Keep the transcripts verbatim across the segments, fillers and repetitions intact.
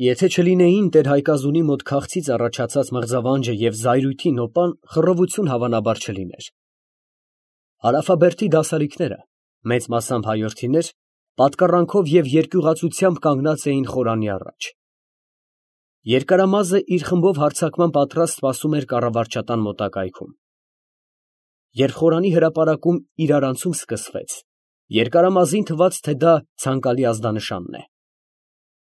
Եթե չլինեին տեր Հայկազունի մոտ քաղցից առաջացած մղձավանջը և զայրույթի նոպան, խռովություն հավանաբար չլիներ։ Հարավաբերդի դասալիկները, մեծ մասամբ հայորդիներ, պատկառանքով և երկյուղածությամբ կանգնած էին խորանի առաջ։ Երկարամազը իր խմբով հարձակման պատրաստ սպասում էր կառավարչատան մոտակայքում։ Երբ խորանի հրապարակում իրարանցում սկսվեց, երկարամազին թվաց, թե դա ցանկալի ազդանշանն է։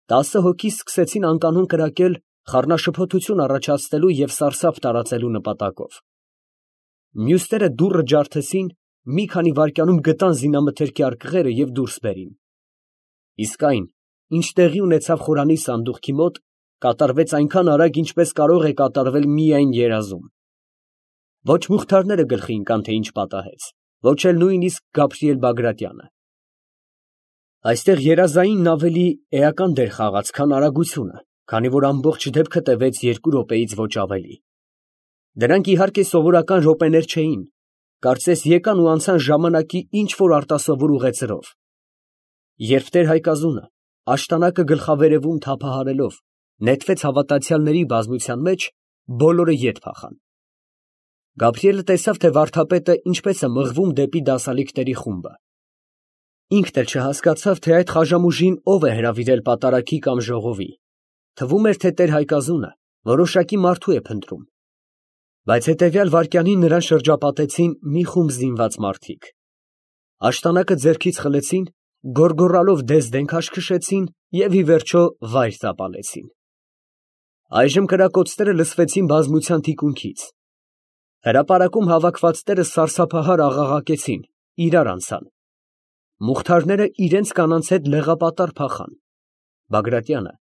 Տասը հոգի սկսեցին անկանոն կրակել խառնաշփոթություն առաջացնելու և սարսափ տարածելու նպատակով։ Մյուսները դուռը ջարդեցին, մի քանի վայրկյանում գտան զինամթերքի արկղերը և դուրս բերին։ Իսկ այն, ինչ տեղի ունեցավ խորանի սանդուղքի մոտ, կատարվեց այնքան արագ, ինչպես կարող է կատարվել միայն երազում։ Ոչ Մուխթարները գլխի ընկան, թե ինչ պատահեց, ոչ էլ նույնիսկ Գաբրիել Բագրատյանը։ Այստեղ երազայինն ավելի էական դեր խաղաց, քան արագությունը, քանի որ ամբողջ դեպքը տևեց երկու րոպեից ոչ ավելի։ Դրանք իհարկե սովորական րոպեներ չէին, կարծես եկան ու անցան ժամանակի ինչ֊որ արտասովոր ուղեծրով։ Երբ տեր Հայկազունը, աշտանակը գլխավերևում թափահարելով, նետվեց հավատացյալների բազմության մեջ, բոլորը ետ փախան։ Գաբրիելը տեսավ, թե վարդապետը ինչպես է մղվում դեպի դասալիկների խումբը։ Ինքն էլ չհասկացավ, թե այդ խաժամուժին ով է հրավիրել պատարագի կամ ժողովի։ Թվում էր, թե տեր Հայկազունը որոշակի մարդու է փնտրում։ Բայց հետևյալ վայրկյանին նրան շրջապատեցին մի խումբ զինված մարդիկ։ Աշտանակը ձեռքից խլեցին, գոռգոռալով դես֊դեն քաշքշեցին և ի վերջո վայր տապալեցին։ Այժմ կրակոցները լսվեցին բազմության թիկունքից։ Հրապարակում հավաքվածները սարսափահար աղաղակեցին, իրար անցան։ Մուխթարները իրենց կանանց հետ լեղապատառ փախան։ Բագրատյանը,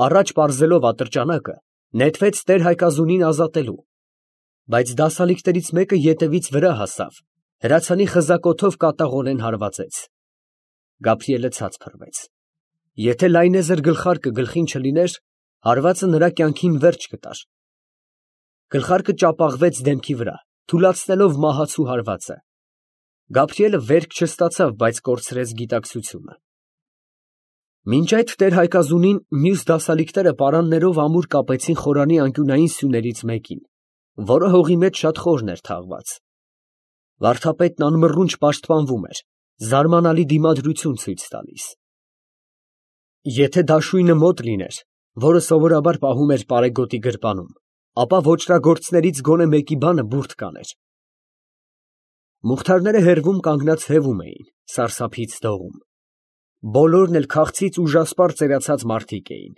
առաջ պարզելով ատրճանակը, նետվեց տեր Հայկազունին ազատելու։ Բայց դասալիկներից մեկը ետևից վրա հասավ, հրացանի խզակոթով կատաղորեն հարվածեց։ Գաբրիելը ցած փռվեց։ Եթե լայնեզր գլխարկը գլխին չլիներ, հարվածը նրա կյանքին վերջ կտար։ Գլխարկը ճապաղվեց դեմքի վրա, թուլացնելով մահացու հարվածը։ Գաբրիելը վերք չստացավ, բայց կորցրեց գիտակցությունը։ Մինչ այդ տեր Հայկազունին մյուս դասալիկները պարաններով ամուր կապեցին խորանի անկյունային սյուներից մեկին, որը հողի մեջ շատ խորն էր թաղված։ Վարդապետն անմռունչ պաշտպանվում էր, զարմանալի դիմադրություն ցույց տալիս։ Եթե դաշույնը մոտ լիներ, որը սովորաբար պահում էր պարեգոտի գրպանում, ապա ոճրագործներից գոնե մեկի բանը բուրդ կաներ։ Մուխթարները հեռվում կանգնած հևում էին, սարսափից դողում։ Բոլորն էլ քաղցից ուժասպառ ծերացած մարդիկ էին։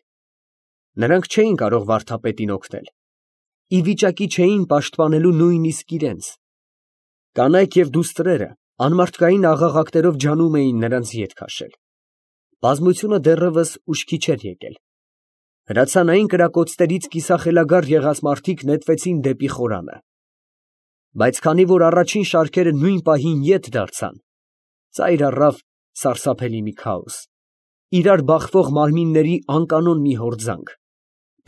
Նրանք չէին կարող վարդապետին օգնել։ Ի վիճակի չէին պաշտպանելու նույնիսկ իրենց։ Կանայք և դուստրերը անմարդկային աղաղակներով ջանում էին նրանց ետ քաշել։ Բազմությունը դեռևս ուշքի չէր եկել։ Հրացանային կրակոցներից կիսախելագար եղած մարդիկ նետվեցին դեպի խորանը։ Բայց քանի որ առաջին շարքերը նույն պահին ետ դարձան, ծայր առավ սարսափելի մի քաոս, իրար բախվող մարմինների անկանոն մի հորձանք,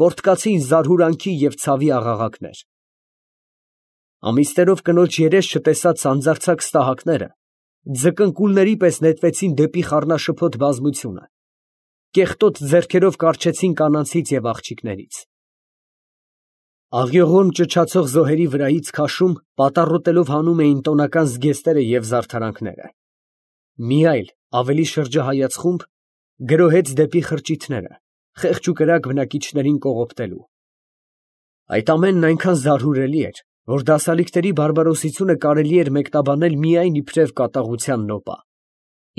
պոռթկացին զարհուրանքի և ցավի աղաղակներ։ Ամիսներով կնոջ երես չտեսած սանձարձակ ստահակները ձկնկուլների պես նետվեցին դեպի խառնաշփոթ բազմությունը, կեղտոտ ձեռքերով կառչեցին կանանցից և աղջիկներից։ Աղյուղոն ճչացող զոհերի վրայից քաշում, պատառոտելով հանում էին տոնական զգեստները և զարդարանքները։ Մի այլ, ավելի շրջահայաց խումբ գրոհեց դեպի խրճիթները, խեղճ ու կրակ բնակիչներին կողոպտելու։ Այդ ամենն այնքան զարհուրելի էր, որ դասալիկների բարբարոսությունը կարելի էր մեկնաբանել միայն իբրև կատաղության նոպա,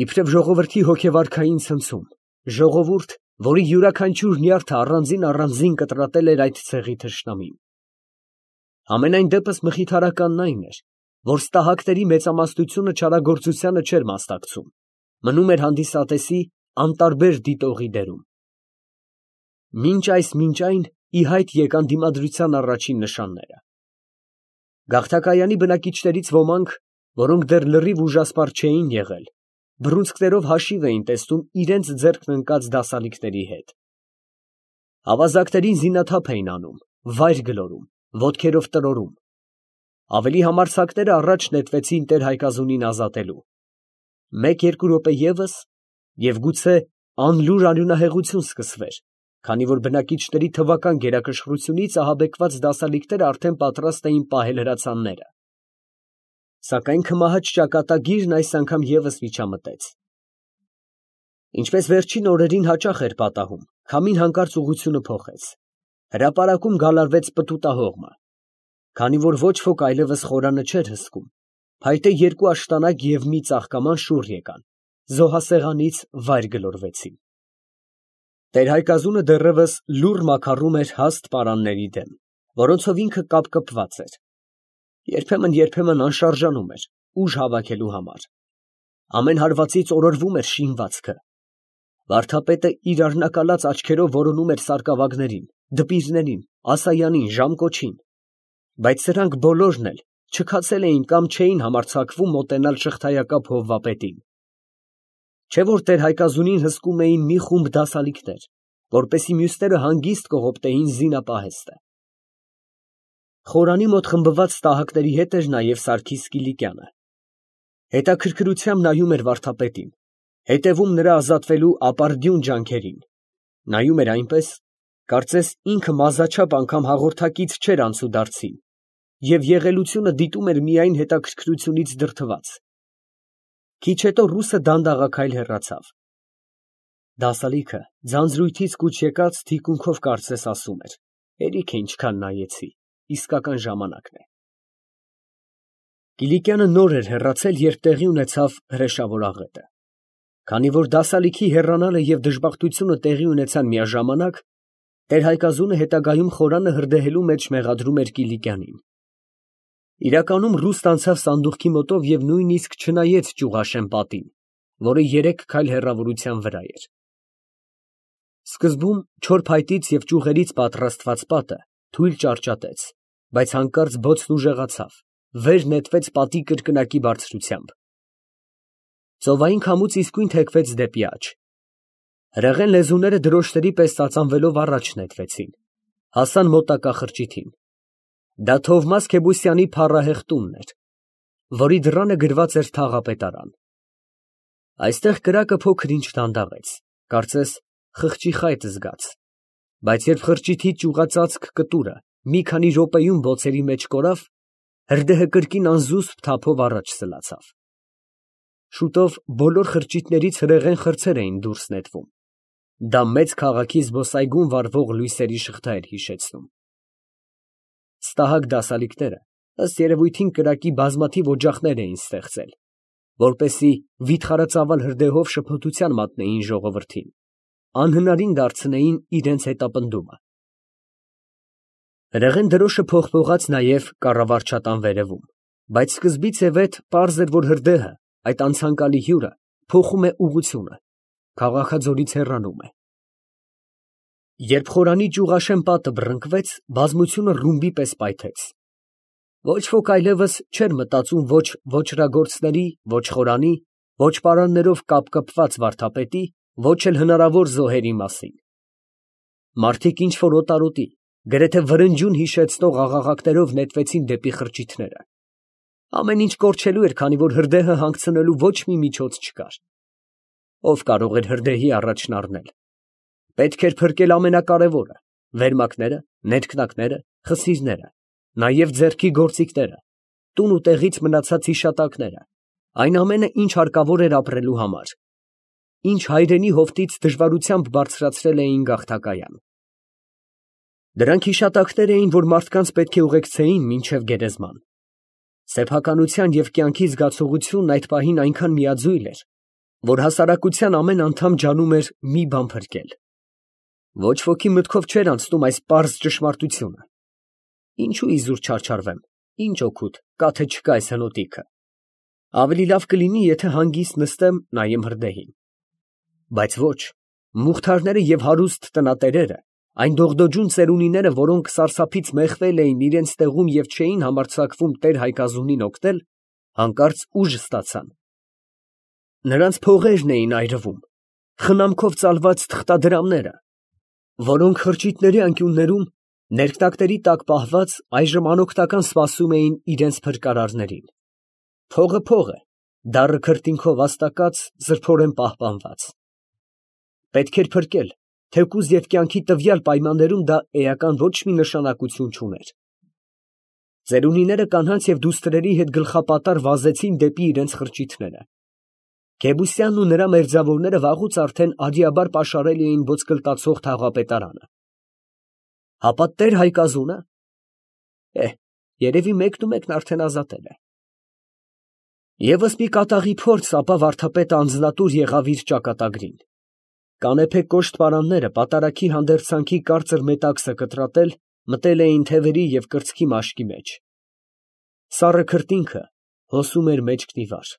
իբրև ժողովրդի հոգեվարքային ցնցում, ժողովուրդ, որի յուրաքանչյուր նյարդը առանձին֊առանձին կտրատել էր այդ ցեղի թշնամին։ Համենայն դեպս մխիթարականն այն էր, որ ստահակների մեծամասնությունը չարագործությանը չէր մասնակցում, մնում էր հանդիսատեսի անտարբեր դիտողի դերում։ Մինչ այս, մինչ այն ի հայտ եկան դիմադրության առաջին նշանները։ Գաղթակայանի բնակիչներից ոմանք, որոնք դեռ լրիվ ուժասպառ չէին եղել, բռունցքներով հաշիվ էին տեսնում իրենց ձեռքն ընկած դասալիկների հետ։ Ավազակներին զինաթափ էին անում, վայր գլորում, ոտքերով տրորում։ Ավելի համարձակները առաջ նետվեցին տեր Հայկազունին ազատելու։ Մեկ֊երկու րոպե ևս, և գուցե անլուր արյունահեղություն սկսվեր, քանի որ բնակիչների թվական գերակշռությունից ահաբեկված դասալիկները արդեն պատրաստ էին պահել հրացանները։ Սակայն քմահաճ ճակատագիրն այս անգամ ևս միջամտեց։ Ինչպես վերջին օրերին հաճախ էր պատահում, քամին հանկարծ ուղղությունը փոխեց։ Հրապարակում գալարվեց պտուտահողմը։ Քանի որ ոչ ոք այլևս խորանը չէր հսկում, փայտե երկու աշտանակ և մի ծաղկաման շուռ եկան, զոհասեղանից վայր գլորվեցին։ Տեր֊Հայկազունը դեռևս լուռ մաքառում էր հաստ պարանների դեմ, որոնցով ինքը կապկպված էր։ Երբեմն֊երբեմն անշարժանում էր ուժ հավաքելու համար։ Ամեն հարվածից օրորվում էր շինվածքը։ Վարդապետը իր արհնակալած աչքերով որոնում էր սարկավագներին, դպիրներին, ասայանին, ժամկոչին, բայց սրանք բոլորն էլ չքացել էին կամ չէին համարձակվում մոտենալ շղթայակապ հովվապետին։ Չէ՞ որ տեր֊Հայկազունին հսկում էին մի խումբ դասալիկներ, որպեսզի մյուսները հանգիստ կողոպտեին զինապահեստը։ Խորանի մոտ խմբված տահակների հետ էր նաև Սարգիս Կիլիկյանը։ Հետաքրքրությամբ նայում էր վարդապետին, հետևում նրա ազատվելու ապարդյուն ջանքերին, նայում էր այնպես, կարծես ինքը մազաչափ անգամ հաղորդակից չէր անցուդարձին, և եղելությունը դիտում էր միայն հետաքրքրությունից դրդված։ Քիչ հետո ռուսը դանդաղաքայլ հեռացավ։ Դասալիքը ձանձրույթից կուչ եկած թիկունքով կարծես ասում էր. «Հերիք է ինչքան նայեցի, իսկական ժամանակն է»։ Կիլիկյանը նոր էր հեռացել, երբ տեղի ունեցավ հրեշավոր աղետը։ Քանի որ դասալիքի հեռանալը և դժբախտությունը տեղի ունեցան միաժամանակ, տեր֊Հայկազունը հետագայում խորանը հրդեհելու մեջ մեղադրում էր Կիլիկյանին։ Իրականում Ռուստն անցավ սանդուղքի մոտով և նույնիսկ չնայեց Ճյուղաշեն պատին, որը երեք քայլ հեռավորության վրա էր։ Սկզբում չոր փայտից և ճյուղերից պատրաստված պատը թույլ ճարճատեց, բայց հանկարծ բոցն ուժեղացավ, վեր նետվեց պատի կրկնակի բարձրությամբ։ Ծովային քամուց իսկույն թեքվեց դեպի աջ։ Հրեղեն լեզուները դրոշների պես ծածանվելով առաջ նետվեցին, հասան մոտակա խրճիթին։ Դա Թովմաս Քեբուսյանի փառահեղ տունն էր, որի դռանը գրված էր թաղապետարան։ Այստեղ կրակը փոքր-ինչ դանդաղեց, կարծես խղճի խայտ զգաց, բայց երբ խրճիթի ճյուղածածկ կտուրը մի քանի րոպեում բոցերի մեջ կորավ, հրդեհը կրկին անզուսպ թափով առաջ սլացավ։ Շուտով բոլոր խրճիթներից հրեղեն խրձեր էին դուրս նետվում։ Դա մեծ քաղաքի զբոսայգում վառվող լույսերի շղթա էր հիշեցնում։ Ստահակ դասալիկները, ըստ երևույթին, կրակի բազմաթիվ օջախներ էին ստեղծել, որպեսզի վիթխարածավալ հրդեհով շփոթության մատնեին ժողովրդին, անհնարին դարձնեին իրենց հետապնդումը։ Հրեղեն դրոշը փողփողաց նաև կառավարչատան վերևում, բայց սկզբից ի վեր պարզ էր, որ հրդեհը, այդ անցանկալի հյուրը, փոխում է ուղղությունը, քաղաքաձորից հեռանում է։ Երբ խորանի Ճյուղաշեն պատը բռնկվեց, բազմությունը ռումբի պես պայթեց։ Ոչ ոք այլևս չէր մտածում ոչ ոճրագործների, ոչ խորանի, ոչ պարաններով կապկպված վարդապետի, ոչ էլ հնարավոր զոհերի մասին։ Մարդիկ ինչ֊որ օտարոտի, գրեթե վրնջյուն հիշեցնող աղաղակներով նետվեցին դեպի խրճիթները։ Ամեն ինչ կորչելու էր, քանի որ հրդեհը հանգցնելու ոչ մի միջոց չկար։ Ո՞վ կարող էր հրդեհի առաջն առնել։ Պետք էր փրկել ամենակարևորը՝ վերմակները, ներքնակները, խսիրները, նաև ձեռքի գործիքները, տուն ու տեղից մնացած հիշատակները, այն ամենը, ինչ հարկավոր էր ապրելու համար, ինչ հայրենի հովտից դժվարությամբ բարձրացրել էին գաղթակայան։ Դրանք հիշատակներ էին, որ մարդկանց պետք է ուղեկցեին մինչև գերեզման։ Սեփականության և կյանքի զգացողությունն այդ պահին այնքան միաձույլ էր, որ հասարակության ամեն անդամ ջանում էր մի բան փրկել։ Ոչ ոքի մտքով չէր անցնում այս պարզ ճշմարտությունը։ Ինչու իզուր չարչարվեմ, ինչ օգուտ կա թե չկա այս հնոտիքը։ Ավելի լավ կլինի, եթե հանգիստ նստեմ, նայեմ հրդեհին։ Բայց ոչ, մուղթարները և հարուստ տնատերերը, այն դողդոջուն ծերունիները, որոնք սարսափից մեղվել էին իրենց տեղում և չէին համարձակվում տեր֊Հայկազունին օգնել, հանկարծ ուժ ստացան։ Նրանց փողերն էին այրվում, խնամքով ծալված թղթադրամները, որոնք խրճիթների անկյուններում, ներքնակների տակ պահված, այժմ անօգնական սպասում էին իրենց փրկարարներին։ Փողը փող է, դառը քրտինքով աստակած, զրփորեն պահպանված։ Պետք էր փրկել, թեկուզ և կյանքի տվյալ պայմաններում դա էական ոչ մի նշանակություն չուներ։ Ծերունիները կանանց և դուստրերի հետ գլխապատառ վազեցին դեպի իրենց խրճիթները։ Գեբուսյանն ու նրա մերձավորները վաղուց արդեն արիաբար պաշարել էին ոսկլտացող թաղապետարանը։ Հապա տեր Հայկազո՞ւնը։ Է, երևի մեկն ու մեկն արդեն ազատել է։ Եվս մի կատաղի փորձ, ապա վարդապետը անձնատուր եղավ իր ճակատագրին։ Կանեփե կոշտ պարանները պատարագի հանդերձանքի կարծր մետաքսը կտրատել, մտել էին թևերի և կրծքի մաշկի մեջ։ Սառը քրտինքը հոսում էր մեջքն ի վար։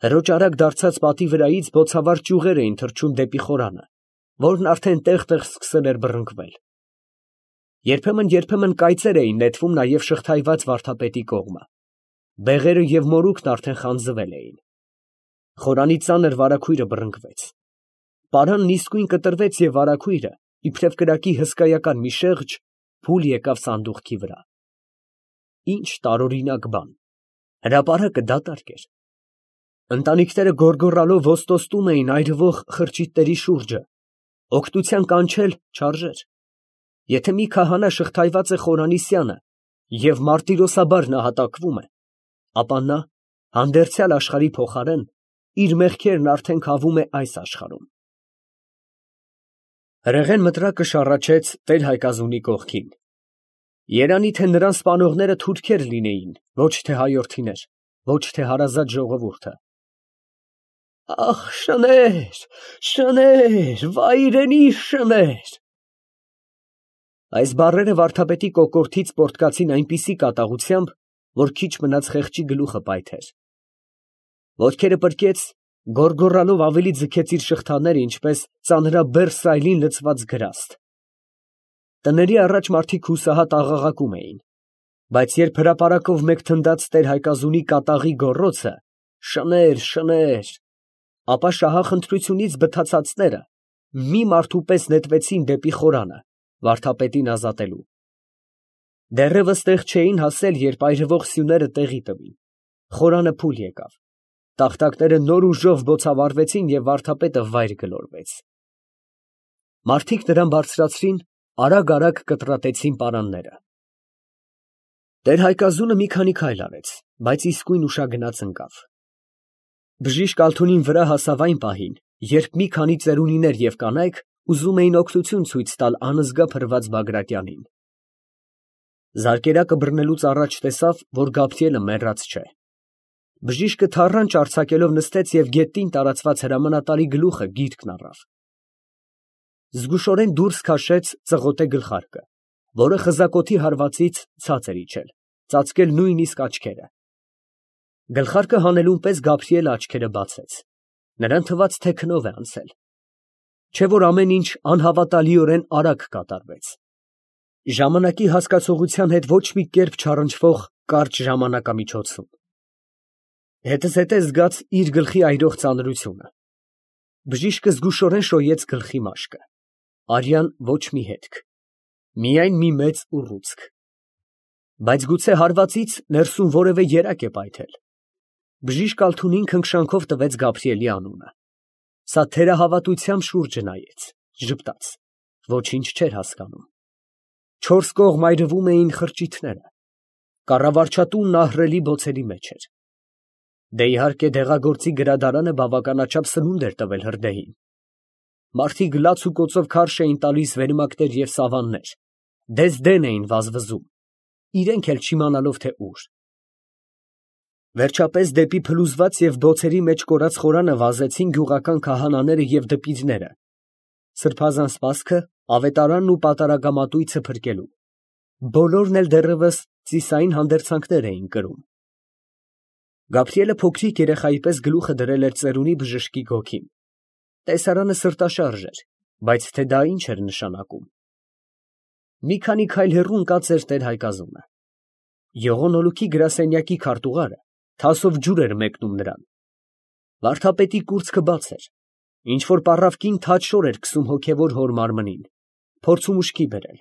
Հրոճարակ դարձած պատի վրայից բոցավառ ճյուղեր էին թռչում դեպի խորանը, որն արդեն տեղ֊տեղ սկսել էր բռնկվել։ Երբեմն֊երբեմն կայծեր էին նետվում նաև շղթայված վարդապետի կողմը։ Բեղերը և մորուքն արդեն խանձվել էին։ Խորանի ծանր վարագույրը բռնկվեց։ Պարանն իսկույն կտրվեց և վարագույրը, իբրև կրակի հսկայական մի շեղջ, փուլ եկավ սանդուղքի վրա։ Ինչ տարօրինակ բան, հրապարակը դատարկ էր։ Ընտանիքները գոռգոռալով ոստոստում էին այրվող խրճիթների շուրջը, օգնության կանչել չարժեր։ Եթե մի քահանա շղթայված է խորանի սյանը և մարտիրոսաբար նահատակվում է, ապա նա, հանդերձյալ աշխարհի փոխարեն, իր մեղքերն արդեն քավում է այս աշխարհում։ Հրեղեն մտրակը շառաչեց Տեր֊Հայկազունի կողքին։ Երանի թե նրան սպանողները թուրքեր լինեին, ոչ թե հայորդիներ, ոչ թե հարազատ ժողովուրդը։ Ախ, շներ, շներ, վայրենի շներ։ Այս բառերը վարդապետի կոկորդից պոռթկացին այնպիսի կատաղությամբ, որ քիչ մնաց խեղճի գլուխը պայթեր։ Ոտքերը պրկեց, գոռգոռալով ավելի ձգեց իր շղթաները, ինչպես ծանրաբեռ սայլին լցված գրաստ։ Տների առաջ մարդիկ հուսահատ աղաղակում էին, բայց երբ հրապարակով մեկ թնդաց Տեր֊Հայկազունի կատաղի գոռոցը. «Շներ, շներ», ապա շահախնդրությունից բթացածները մի մարդու պես նետվեցին դեպի խորանը, վարդապետին ազատելու։ Դեռևս տեղ չէին հասել, երբ այրվող սյուները տեղի տվին։ Խորանը փուլ եկավ։ Տախտակները նոր ուժով բոցավառվեցին և վարդապետը վայր գլորվեց։ Մարդիկ նրան բարձրացրին, արագ֊արագ կտրատեցին պարանները։ Տեր֊Հայկազունը մի քանի քայլ արեց, բայց իսկույն ուշագնաց ընկավ։ Բժիշկ Ալթունին վրա հասավ այն պահին, երբ մի քանի ծերունիներ և կանայք ուզում էին օգնություն ցույց տալ անզգա փրված Բագրատյանին։ Զարկերակը բռնելուց առաջ տեսավ, որ Գաբրիելը մեռած չէ։ Բժիշկը թառանչ արձակելով նստեց և գետնին տարածված հրամանատարի գլուխը գիրկն առավ։ Զգուշորեն դուրս քաշեց ծղոտե գլխարկը, որը խզակոթի հարվածից ցած էր իջել, ծածկել նույնիսկ աչքերը։ Գլխարկը հանելուն պես Գաբրիելը աչքերը բացեց։ Նրան թվաց, թե քնով է անցել, չէ՞ որ ամեն ինչ անհավատալիորեն արագ կատարվեց։ Ժամանակի հասկացողության հետ ոչ մի կերպ չառնչվող կարճ ժամանակամիջոցում։ Հետզհետե զգաց իր գլխի այրող ծանրությունը։ Բժիշկը զգուշորեն շոյեց գլխի մաշկը։ Արյան ոչ մի հետք, միայն մի մեծ ուռուցք։ Բայց գուցե հարվածից ներսում որևէ երակ է պայթել։ Բժիշկ Ալթունին քնքշանքով տվեց Գաբրիելի անունը։ Սա թերահավատությամբ շուրջը նայեց, ժպտաց, ոչինչ չէր հասկանում։ Չորս կողմ այրվում էին խրճիթները։ Կառավարչատունն ահռելի բոցերի մեջ էր։ Դե իհարկե դեղագործի գրադարանը բավականաչափ սնունդ էր տվել հրդեհին։ Մարդիկ լաց ու կոծով քարշ էին տալիս վերմակներ և սավաններ, դեզ֊դեն էին վազվզում, իրենք էլ չիմանալով, թե ուր։ Վերջապես դեպի փլուզված և բոցերի մեջ կորած խորանը վազեցին գյուղական քահանաները և դպիրները, սրբազան սպասքը, ավետարանն ու պատարագամատույցը փրկելու։ Բոլորն էլ դեռևս ծիսային հանդերձանքներ էին կրում։ Գաբրիելը փոքրիկ երեխայի պես գլուխը դրել էր ծերունի բժշկի գոգին։ Տեսարանը սրտաշարժ էր, բայց թե դա ինչ էր նշանակում։ Մի քանի քայլ հեռու ընկած էր Տեր֊Հայկազունը։ Ողորնոլուքի գրասենյակի քարտուղարը թասով ջուր էր մեկնում նրան։ Վարդապետի կուրծքը բաց էր, ինչ֊որ պառավ կին թաց շոր էր քսում հոգևոր հոր մարմնին, փորձում ուշքի բերել։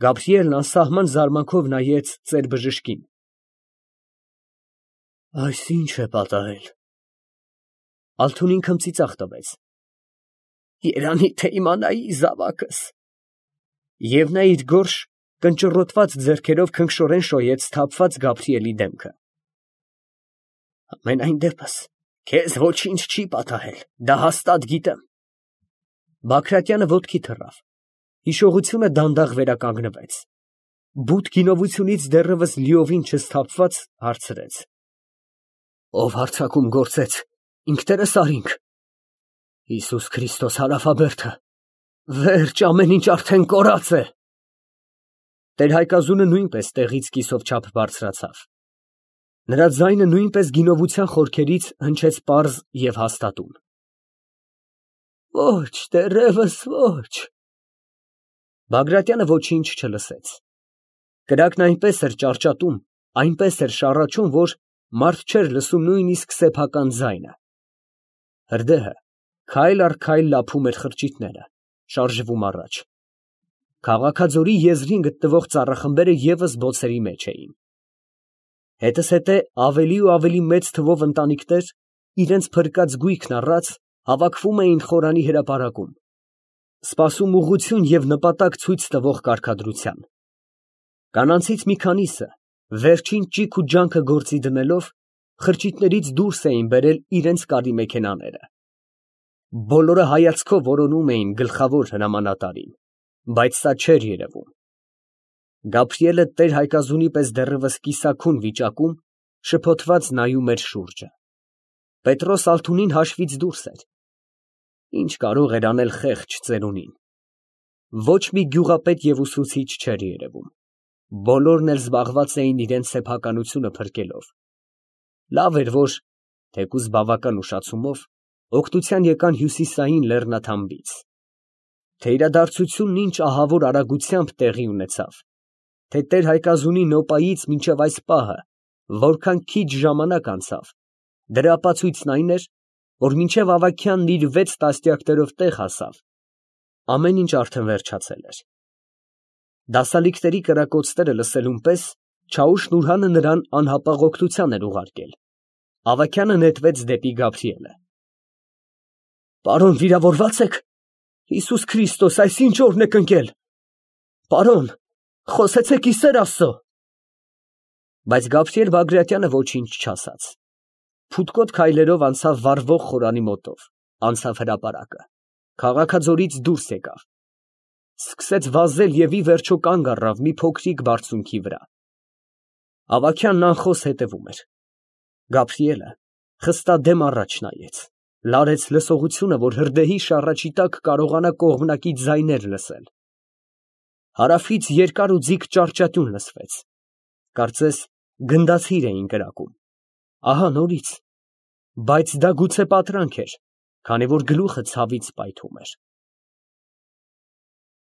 Գաբրիելն անսահման զարմանքով նայեց ծեր֊բժշկին։ Այս ի՞նչ է պատահել։ Ալթունին քմծիծաղ տվեց։ Երանի թե իմանայի զավակս։ Եվ նա իր գորշ կնճռոտված ձեռքերով քնքշորեն շոյեց սթափված Գաբրիելի դեմքը։ Համենայն դեպս, քեզ ոչինչ չի պատահել, դա հաստատ գիտեմ։ Բագրատյանը ոտքի թռավ, հիշողությունը դանդաղ վերականգնվեց, բութ գինովությունից դեռևս լիովին չսթափված հարցրեց. Ով հարձակում գործեց, ինքներս արինք։ Հիսուս Քրիստոս հարավաբերդը, վերջ, ամեն ինչ արդեն կորած է։ Տեր-Հայկազունը նույնպես տեղից կիսով չափ բարձրացավ։ Նրա ձայնը նույնպես գինովության խորքերից հնչեց պարզ և հաստատուն։ Ոչ, դեռևս ոչ։ Բագրատյանը ոչինչ չլսեց։ Կրակն այնպես էր ճարճատում, այնպես էր շառաչում, որ մարդ չէր լսում նույնիսկ սեփական ձայնը։ Հրդեհը քայլ առ քայլ լափում էր խրճիթները, շարժվում առաջ։ Քաղաքաձորի եզրին գտնվող ծառախմբերը ևս բոցերի մեջ էին։ Հետզհետե ավելի ու ավելի մեծ թվով ընտանիքներ, իրենց փրկած գույքն առած, հավաքվում էին խորանի հրապարակում, սպասում ուղղություն և նպատակ ցույց տվող կարգադրության։ Կանանցից մի քանիսը, վերջին ճիգ ու ջանքը գործի դնելով, խրճիթներից դուրս էին բերել իրենց կարի մեքենաները։ Բոլորը հայացքով որոնում էին գլխավոր հրամանատարին, բայց սա չէր երևում։ Գաբրիելը տեր֊Հայկազունի պես դեռևս կիսաքուն վիճակում շփոթված նայում էր շուրջը։ Պետրոս Ալթունին հաշվից դուրս էր։ Ինչ կարող էր անել խեղճ ծերունին։ Ոչ մի գյուղապետ և ուսուցիչ չէր երևում։ Բոլորն էլ զբաղված էին իրենց սեփականությունը փրկելով։ Լավ էր, որ, թեկուզ բավական ուշացումով, օգնության եկան հյուսիսային լեռնաթամբից։ Թե իրադարձությունն ինչ ահավոր արագությամբ տեղի ունեցավ, թե տեր֊Հայկազունի նոպայից մինչև այս պահը որքան քիչ ժամանակ անցավ, դրա ապացույցն այն էր, որ մինչև ավագյանն իր վեց տասնյակներով տեղ հասավ, ամեն ինչ արդեն վերջացել էր։ Դասալիկների կրակոցները լսելուն պես Չաուշ֊Նուրհանը նրան անհապաղ օգնության էր ուղարկել։ Ավագյանը նետվեց դեպի Գաբրիելը։ Պարոն, վիրավորվա՞ծ եք։ Հիսուս Քրիստոս, այս ինչ օրն եք ընկել։ Պարոն, խոսեցեք ի սեր Աստծո։ Բայց Գաբրիել Բագրատյանը ոչինչ չասաց։ Փութկոտ քայլերով անցավ վառվող խորանի մոտով, անցավ հրապարակը, քաղաքաձորից դուրս եկավ, սկսեց վազել և ի վերջո կանգ առավ մի փոքրիկ բարձունքի վրա։ Ավագյանն անխոս հետևում էր։ Գաբրիելը խստադեմ առաջ նայեց, լարեց լսողությունը, որ հրդեհի շառաչի տակ կարողանա կողմնակի ձայներ լսել։ Հարավից երկար ու ձիգ ճառճատյուն լսվեց, կարծես գնդացիր էին կրակում։ Ահա նորից, բայց դա գուցե պատրանք էր, քանի որ գլուխը ցավից պայթում էր։